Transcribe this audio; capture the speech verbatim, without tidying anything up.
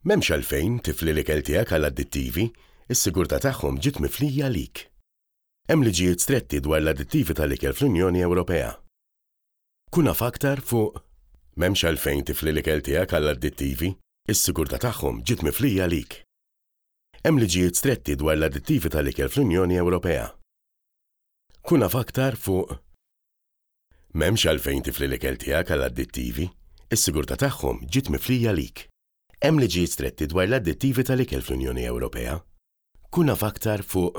M'hemmx għalfejn tifli l-ikel tiegħek għal addittivi, is-sigurtà tagħhom ġiet miflija għalik. Hemm liġijiet stretti dwar l-addittivi tal-ikel fl-Unjoni Ewropea. Kun af aktar fuq M'hemmx għalfejn tifli l-ikel tiegħek għal addittivi, is-sigurtà tagħhom ġiet miflija għalik. Hemm liġijiet stretti dwar l-addittivi tal-ikel fl-Unjoni Ewropea. Kun af aktar fuq M'hemmx għalfejn tifli l-ikel tiegħek għal addittivi, is-sigurtà tagħhom ġiet miflija għalik. Hemm liġijiet stretti dwar l-addittivi tal-ikel fl-Unjoni Ewropea. Kun af aktar fuq